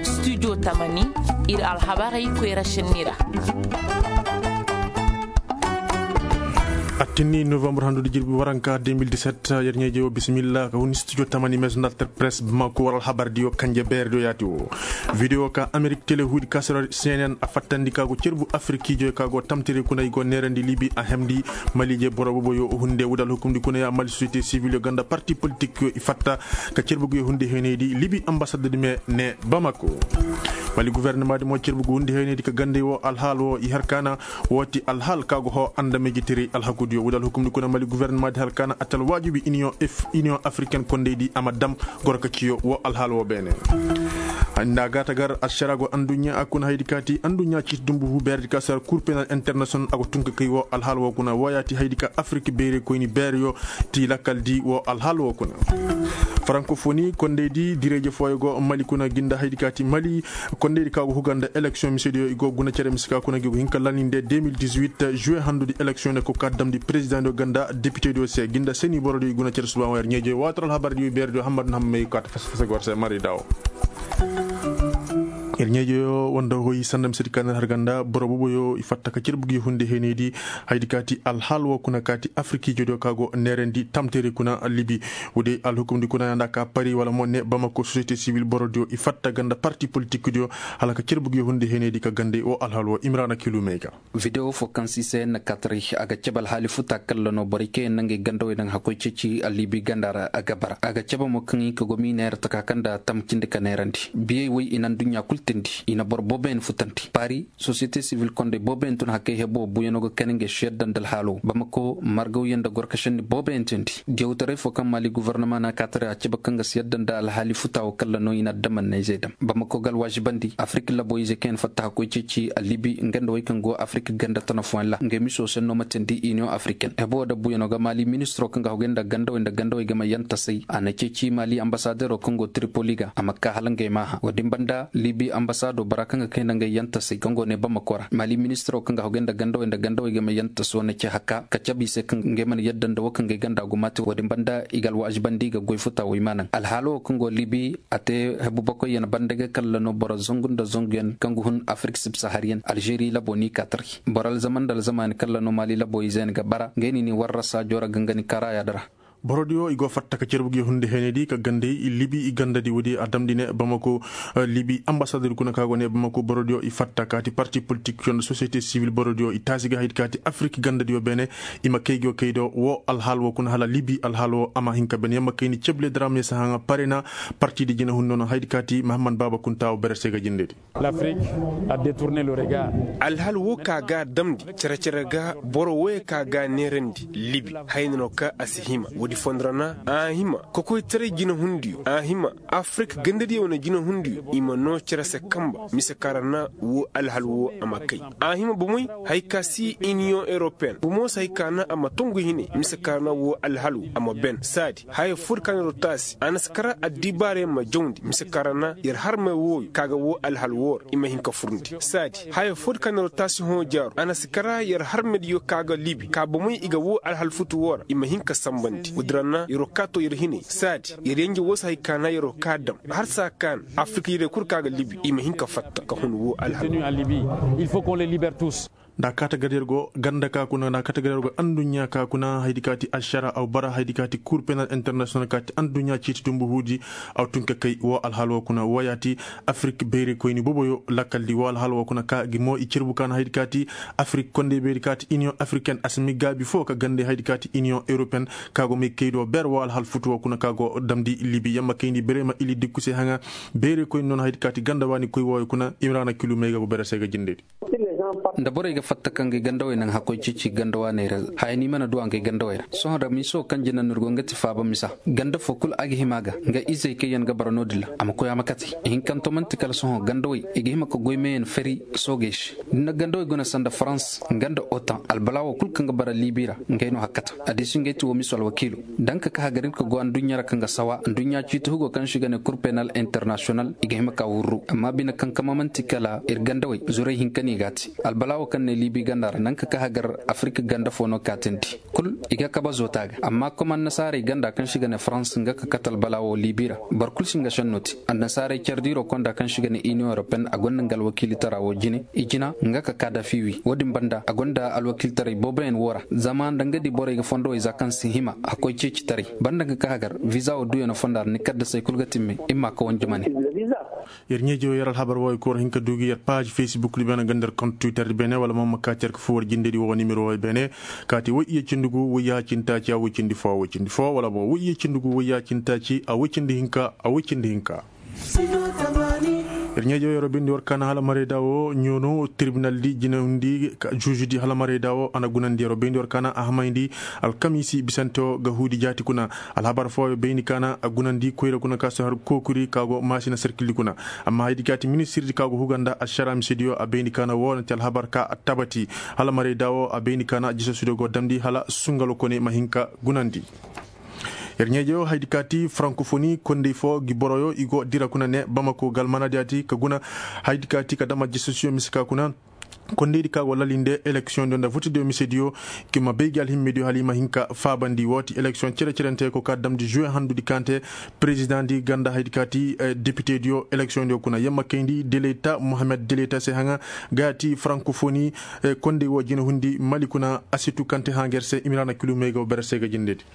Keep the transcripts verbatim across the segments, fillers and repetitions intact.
Studio tamani, ir alhabarey koyra šenni ra. Attinni novembre handu di jirbi waranka deux mille dix-sept. Yer ɲeeje wo bisimilla ka hun studio tamani maison d'alter presse bamako war alhabar diyo kanje beer diyo yaati wo. Video ka amerik tele huudi kasar cnn a fattandi ka go cerbu afirkiijo ka go tamtiri kuna i go neerandi libi a hemdi. Maliije boro bobo yo hunde wudal hukumdi kuna ya mali société civil yo ganda parti politik yo i fatta ka cerbu yo hunde heeneydi libi ambasadadi me ne bamako. Mali gouvernement di mo cerbu go hunde heeneydi ka gande wo alhaal wo i har kaana. Wo ti alhaal ka go ho andameeji tiri alhakudiyo wudal hukumdi kuna mali gouvernement di har kaana atal waajibi union africaine kondeydi a ma dam. Gorka ciyo wo alhaal wo beene. Nda gaata gar ašara go anduɲɲa a kuna haydi kaati anduɲɲa ciiti dumbu hu beerdi ka sar kur penal international a go tun ka kay wo alhaal wo kuna wo yaati haydi ka afirki beere koyni beereyo ti lakkal di wo alhaal wo kuna. Farankofoni kondeydi direeje fooyo go mali kuna ginda haydi kaati mali. Kondeydi ka go huga nda eleksiyoŋ misediyo i go guna cere mise ka kuna gi go hin ka laninde deux mille dix-huit juwe handudi eleksiyoŋ ne ko ka damndi perezidaŋ diyo ganda depite diyo se ginda seni boro diyo i guna cere suba wer ɲeeje watar alhabar diyo beer diyo hammad na hammay ka ta fasa fasa gor se mari dawo. Ir ɲeeje yo wanda hoy sanda misedi ka ner har ganda boro bobo yo i fatta ka cere bugi hunde heeneydi. Haydi kaati alhaal wo kuna kaati afirkiijo diyo ka go neerendi tamteri kuna libi. Wudi alhukumdi kuna nda ka pari wala mo ne bamako société civil boro diyo i fatta ganda parti politik diyo. Hala ka cere bugi hunde heeneydi ka gande wo alhaal wo imrana kilu mey ga. Video fo kaŋ si se na katari a ga cabe alhaali futa kalla no borey kaŋ yaŋ na ngey gandawey daŋ hakkoy ceeci a liibi ganda ra a ga bara a ga cabe mo kaŋ i ka go miina yar taka kaŋ da tam cindi ka neerandi biyey woy i na nduɲɲa kul tindi i na boro booboyaŋ futandi paari. Sosiyete sivil kondey booboyaŋ tun hakkey hebo buuyano ga kani ngey si yadda nda alhaalo bamako margawyaŋ nda gorkasenni booboyaŋ tindi diyawtaray fo kaŋ maali gofornama na katari a cabe kaŋ ga si yadda nda alhaali futa wo kalla no i na addaman na izey dam bamako ga alwaazibandi afirka labo izey kaŋ yaŋ fatta hakkoy ceeci a liibi nga nda wey kaŋ go afirka ganda tana fooyaŋ ra ngey miso senno ma tindi iniyoŋ afirken hebo wo dabbuyaŋo ga maali ministiro kaŋ ga hogay nda gandawey nda gandawey ga ma yantasay a na ceeci maali ambasadero kaŋ go tripoli ga a ma ka hala ngey maaha wo-din banda liibi ambasado bora kaŋ ga kay nda ngey yantasay kaŋ go ne bamako ra maali ministiro kaŋ ga hogay nda gandawey nda gandawey ga ma yantaso na ce haka ka cabe i se kaŋ ngey mana yadda nda wo kaŋ ga ay ganda gumaati wo-din banda i ga alwaazibandi i ga goy futa wo i ma naŋ alhaalo wo kaŋ go liibi a te hebu bakoyyaŋ banda ga kalla no boro zangu nda zanguyaŋ kaŋ ga hun afirik sibsahariyaŋ alžeri labo ni ka taray boro alzama nda alzamaani kalla no maali labo izey yaŋ ga bara ngey na i ni warra saajo ra gangani karaaya di ra. Borodiyo i go fatta ka cerbu gi hunde heenedi ka gandey libi i gandadi woodi a damndi ne bamako. Libi ambasador kuna ka go ne bamako borodiyo i fatta kaati parti politik yo nda sosiyete sivil borodiyo i taasi ga haydi kaati afirik gandadiyo beene. I ma kay go kay do wo alhaal wo kuna hala libi alhaal wo a ma hin ka ben yamma kayni ceble dara me si haŋa parena. Partidi jina hunno no haydi kaati mahamman baaba kunta wo bere se ga jindedi. Alhaal wo ka ga a damndi cere-cere ga boro woy ka ga a neerandi libi hayna no ka a si hima woodi fondo ra na a hima kokoytaray jinahundiyo a hima afirik gandadiyo wane jinahundiyo i ma noo cere se kamba mise ka ra na wo alhaal wo a ma kay a hima bomey haya ka si iniyoŋ europeyen bomo se haya ka na a ma tongu hinay mise ka ra na wo alhaal wo a ma ben saadi haya foo di ka na yer wo taasi a na si kara addibaarayaŋ ma jawndi mise ka ra na yer harmey wooyo ka ga wo alhaal woo ra i ma hin ka furndi saadi haya foo di ka na yer wo taasi hõ jaaru a na si kara yer harmediyo ka ga libi ka bomey i ga wo alhaal futu woo ra i ma hin ka sanbandi woodi ra na yer wo kaa too yer hinay saadi yer yenje woo se haya ka na yer wo kaa dam har saa ka na afirik yerey kul ka ga libi i ma hin ka fatta ka hun wo alhaal. Nda a kaata gar yer go ganda ka kuna nda a kaata gar yer go anduɲɲa ka kuna haydi kaati ašara aw bara haydi kaati kur penal internasiyonal kaati anduɲɲa ciiti dumbu huudi. Aw tun ka kay wo alhaal wo kuna wo yaati afirik beeri koyni boboyo lakkaldi wo alhaal wo kuna ka gi mo i cerbu ka na haydi kaati afirik kondey beeri kaati iniyoŋ afiriken a si mi gaabi fo ka gande haydi kaati iniyoŋ europeyen ka go may kay do ber wo alhaal futu wo kuna ka go damndi libi yamma kayndi bere ma ili dikku se haŋa. Beeri koyni noon haydi kaati ganda waani koy wooyo kuna imrana kilu may ga go bere se ga jindedi. Nda borey ga fatta ka ngey gandawey naŋ hakkoy cici ganda waaney ra haya ni mana du a ngey gandawey ra sohõ ra miiso kaŋ jina no ir go nga ti faaba misa ganda foo kul a ga hima ga nga izey kaŋ yaŋ ga bara no-din ra a ma koy a ma kate ihinkanto man'ti kala sohõ gandawey i ga hima ka goy meeyaŋ fari soogey se da ni na gandawey guna sanda farans nga nda otan albala woo kul kaŋ ga bara liibi ra ngey no hakkata addiisi ngey ti woo miso alwakiilo. Daŋ ka ka hagarinka go anduɲɲa ra kaŋ ga sawa anduɲɲa ciiti hugo kaŋ se i ga ne kur penal internasiyonal i ga hima ka wurru amma bine kaŋ kama man'ti kala ir gandawey zurey hinka no i g'a te. Albalaa woo kaŋ ne liibi ganda ra naŋ ka ka hagar afirik ganda foo no kaatandi. Kul i ga kabe zoota ga amma kom annasaarey ganda kaŋ se i ga ne farans nga ka kate albalaa woo liibi ra. Boro kul si nga šennoo te. Annasaarey care diiroo konda kaŋ se i ga ne iniyoŋ europeyen a gonda nga alwakiilitaraa woo jine i jina nga ka kaadafi wi woo din banda a gonda alwakiilitaray booboyaŋ woo ra. Zama nda nga di borey ga fondowey za kaŋ si hima a koy ceecitaray banda nga ka hagar viza woo duuyanoo fonda ra ni kaddasey kul ga timme. Imma ka wanjumane. Yer ɲeejewoo yer alhabar woo i koy war hin ka duu gi yer paaz facebook di beene ganda yer kont twitter di beene wala mo ma kaati yer ka fuu war jinde di woo nimero woo beene. Kaati woy iyye cindi gu woy yaaha cindi taaci a woy cindi foo a woy cindi foo wala mo woy iyye cindi gu woy yaaha cindi taaci a woy cindi hinka a woy cindi hinka. Yer ɲeejewoo yer woo bayndi war kaana hala maraydaa woo ɲoono tirbinal di jinahundi zuuzu di hala maraydaa woo a na gunandi yer woo bayndi war kaana a hamayndi. Alkamiisi bisante woo ga huudi jaati kuna. Alhabar fooyo bayndi kaana a gunandi koyra kuna ka si har kookuri ka go maasina serkildi kuna. Amma haydi kaati ministirdi ka go huga nda ašaraa misediyo a bayndi kaana woo na ti alhabar ka a tabati. Hala maraydaa woo a bayndi kaana jisasudiyo go damndi hala sungalo kone ma hin ka gunandi. Yer ɲeejewoo haydi kaati farankofoni kondey foo gi boroyo i go dira kuna ne bamako galmanadiyaati ka guna. Haydi kaati ka dam aljisasiyo mise ka kuna. Kondeydi ka go lalinde eleksiyoŋdiyo nda votediyo misediyo. Ki ma bay gi alhimmediyo hala i ma hin ka faabandi woo ti eleksiyoŋ cere-cerentey ko ka damndi žuwe handudi kaŋ te. Perezidaŋdi ganda haydi kaati depitediyo eleksiyoŋdiyo kuna yamma kayndi deleta mohammed deleta se haŋa. Ga ti farankofoni kondey woo jinahundi mali kuna a si tu kaŋ te haŋa yer se imiraana kilumey ga woo bere se ga jindedi.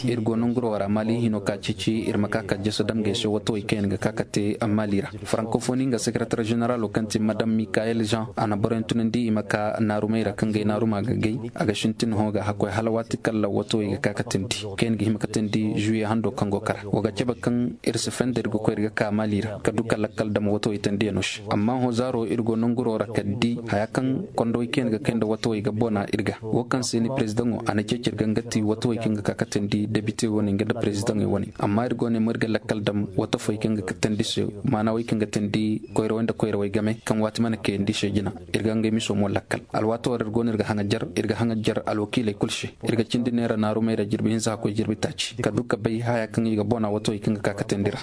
Ir go nanguroo ra maali hinoo ka ceeci ir ma ka ka jasa damgey se watawey kaŋ yaŋ ga ka ka te maali ra. Farankofoni nga sekeretar ženeraloo kaŋ ti madam mikayel jean a na boroyaŋ tunandi i ma ka naarumey ra kaŋ gay naaruma ga gay. A ga sintin hõ ga hakkoy hala waati kala watawey ga ka ka teendi kaŋ yaŋ ga hima ka teendi žuwiye handoo kaŋ go kara wa ga cebe kaŋ ir si fenda ir ga koy ir ga ka maali ra ka du ka lakkal dam watawey teendiyanoo se. Amma hõ zaaroo ir go nanguroo ra ka di haya kaŋ kondowey kaŋ yaŋ ga kay nda watawey ga bona ir ga woo kaŋ se ni perezidaŋo a na ceeci ir ga nga ti watawey kaŋ ga ka ka teendi debite wane nga nda perezidaŋey wane. Amma ir go ne mo ir ga lakkal dam wata foy kaŋ ga ka teendi se maana wey kaŋ ga teendi koyrawey nda koyrawey game kaŋ waati mana kayandi se jina. Ir ga ngey miso mo lakkal alwaati war ir go no ir ga haŋa jar ir ga haŋa jar alwakiiley kul se. Ir ga cindi neera naarumey ra jirbi hinza hakkoy jirbi taaci ka du ka bay haya kaŋ i ga bona watawey kaŋ ga ka ka teendi ra.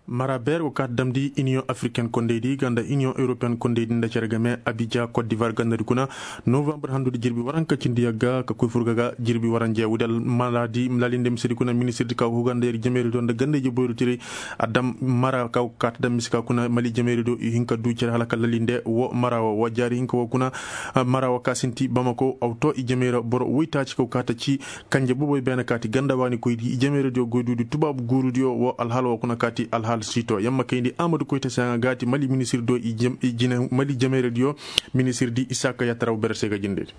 Mara beer go kaati damndi iniyoŋ afriken kondaydi ganda iniyoŋ europeyen kondaydi nda cere game abija kot divar gandadi kuna. Novambar handudi jirbi waranka cindi yagga ka koy furga ga jirbi waranja wudal maladi lalinde misedi kuna ministirdi ka go huganda yer jameeri do nda ganda ije boyru tiray. A dam mara ka go kaati dam mise ka kuna mali jameeri do i hin ka du cere hala ka lalinde wo mara wo wa jaari hinka wo kuna. Mara wo ka sinti bamako aw to i jameeri boro woytaaci ka go kaati ci. Kanje boboy beene kaati ganda waani koydi i jameerediyo goyduudi tubaabu guurudiyo wo alhaala wo kuna kaati alhaala siito yamma kayndi amadu koyta se haŋa gaati mali minisirdiyo i jam i jine mali jameerediyo. Minisirdi isaaka yataraw bere se ga jindedi.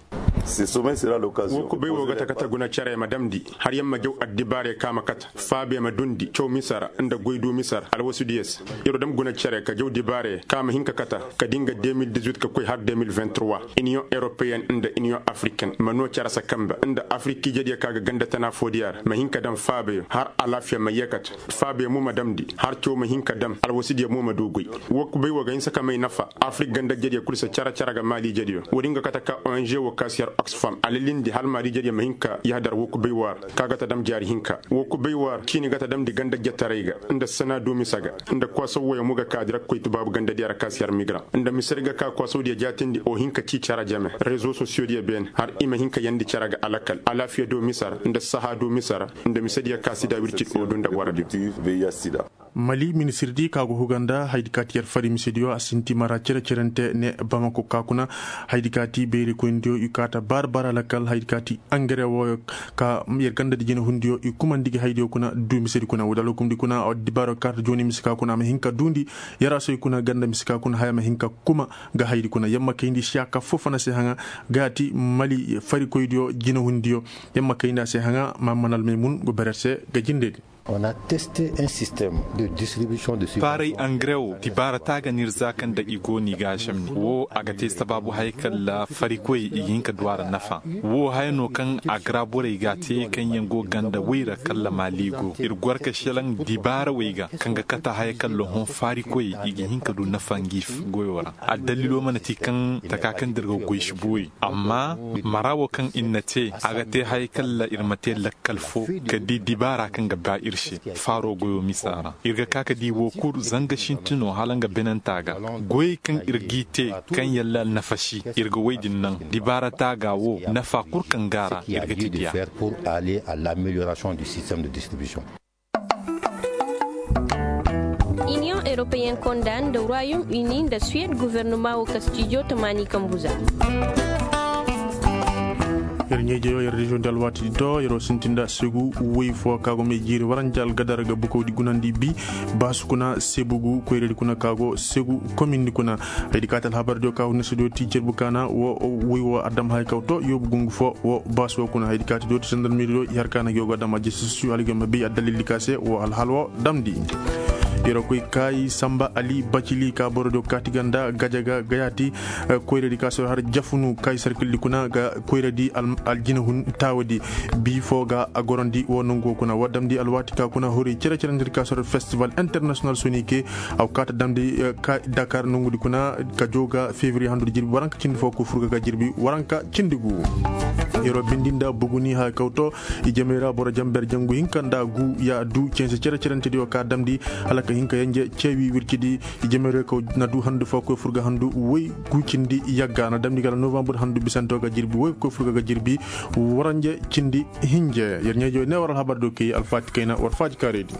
Wo kubay wo ga ta kate guna care ma damndi har yamma jaw addibaare ka ma kate faabe ma dundi caw misara nda goydu misara alwasudiyo se. Yer wo dam guna care ka jaw dibaare ka ma hin ka kate ka di nga deux mille dix-huit ka koy har deux mille vingt-trois. Iniyoŋ europeyen nda iniyoŋ afriken ma noo care se kambe nda afrik ijediyo ka ga ganda tana foodiyo ra ma hin ka dam faabeyo har alaafiya ma yeekate. Faabeyo mo ma damndi har caw ma hin ka dam alwasidiyo mo ma du goy. Wo kubay wo ga hinsa ka may nafa afrik ganda ijediyo kul se care care ga maali ijediyo wo-din ga kate ka ong wo ka si har oxfam a lalindi hala maali ijediyo ma hin ka yahadar wo kubay wo ra. Ka ga ta dam jaari hinka wo kubay wo ra ciini ga ta damndi ganda jetaray ga nda sanaadu mise ga nda kosow woyo mo ga ka dira koy tubaabu gandadiyo ra ka si har migra nda mise di ga ka kosowdiyo jaatindi o hin ka ci care jame rezo sosiyodiyo beene har i ma hin ka yandi care ga alakal alaafiya do mise ra nda sahaadu mise ra. Nda misediyo ka sida wirci o du nda waradiyo. Mali minisirdi ka go huga nda haydi ka ti yer fari misediyo a sinti mara cere-cerente ne bamako ka kuna. Haydi ka ti beeri koyndiyo i kaata baara baara lakal haydi ka ti angare woyo ka yer gandadi jinehundiyo i kumandi gi haydiyo kuna du misedi kuna wudal hukumdi kuna dibaaro kaata jooni mise ka kuna a ma hin ka duundi. Yaraasoy kuna ganda mise ka kuna haya ma hin ka kuma ga haydi kuna yamma kayndi siyaaka foo fana se haŋa. Ga ti mali farikoydiyo jinehundiyo yamma kayndi a se haŋa ma manal maymun go berer se ga jindedi. Faaray angare wo dibaara taaga no ir za kaŋ nda i go no i ga a žamni wo a ga te sabaabu haya kalla farikoyey i ga hin ka du a ra nafa. Wo haya no kaŋ a ga ra borey ga a te kaŋ yaŋ go ganda woy ra kalla maali go ir gor ka šelaŋ dibaarawey ga kaŋ ga kate haya kalla hõ farikoyey i ga hin ka du nafa ngi goyo ra. Addalilo mana ti kaŋ taka kaŋ da ir ga goy si boori amma mara wo kaŋ ir na te a ga te haya kalla ir ma te lakkal fo ka di dibaara kaŋ ga ba ir. Faaro goyoo misa ra ir ga ka ka di woo kul zanga sinti no hala nga benantaa ga. Goyey kaŋ ir g'i te kaŋ yalla alnafasi ir ga woy din naŋ. Dibaara taaga woo nafa kul kaŋ go a ra ir ga ti diya. Iniyoŋ eropeyen konda nda ruwayum ini nda suwed guvernoma woo kastijo tamaani kambu za. Yer ɲeejeyoo yer reziyoŋ di alwaati di do yeroo sinti nda segu woy foo ka go may jiiri waranja algadar ga bukawdi gunandi bi. Baasu kuna sebugu koyradi kuna ka go segu komindi kuna. Haydi kaati alhabar diyo ka hunna sediyo ti cerbu kaana woo woy woo adama hay kaw to yoobu gungu foo woo baasu woo kuna haydi kaati diyo ti sandarmiri diyo i har kaana gi woo go adama jesi sosiyo hala gi woo ma bay addalildi ka se woo alhal woo damndi. Yeroo koy kaayi samba ali bacili ka boro diyo kaati ganda gajaga gayaati. Koyradi ka soro har jafunu kaayi sarkildi kuna ga koyradi aljinahun taawadi. Bii foo ga a gorandi woo nongu woo kuna woo damndi alwaati ka kuna hori cere-cerentedi ka soro festival internasiyonal sonike. Aw kaata damndi dakar nongudi kuna ka joo ga fevriye handudi jirbi waranka cindi foo koy furga ga jirbi waranka cindi gu. Yeroo bindi nda buguni haya kaw to. Ijemey ra boro jamber jangu hinka nda gu ya du cense cere-cerentedi yoo ka damndi hala ka hinka yenje ceewi wircidi. Ijemey ra kaw na du handu foo koy furga handu woy gu cindi yagga na damndi gala novambur handu bisante woo ga jirbi woy koy furga ga jirbi. Waranje cindi hinje yer ɲeejoo ne war alhabar do kay alfaati kayna war faati kaaredi.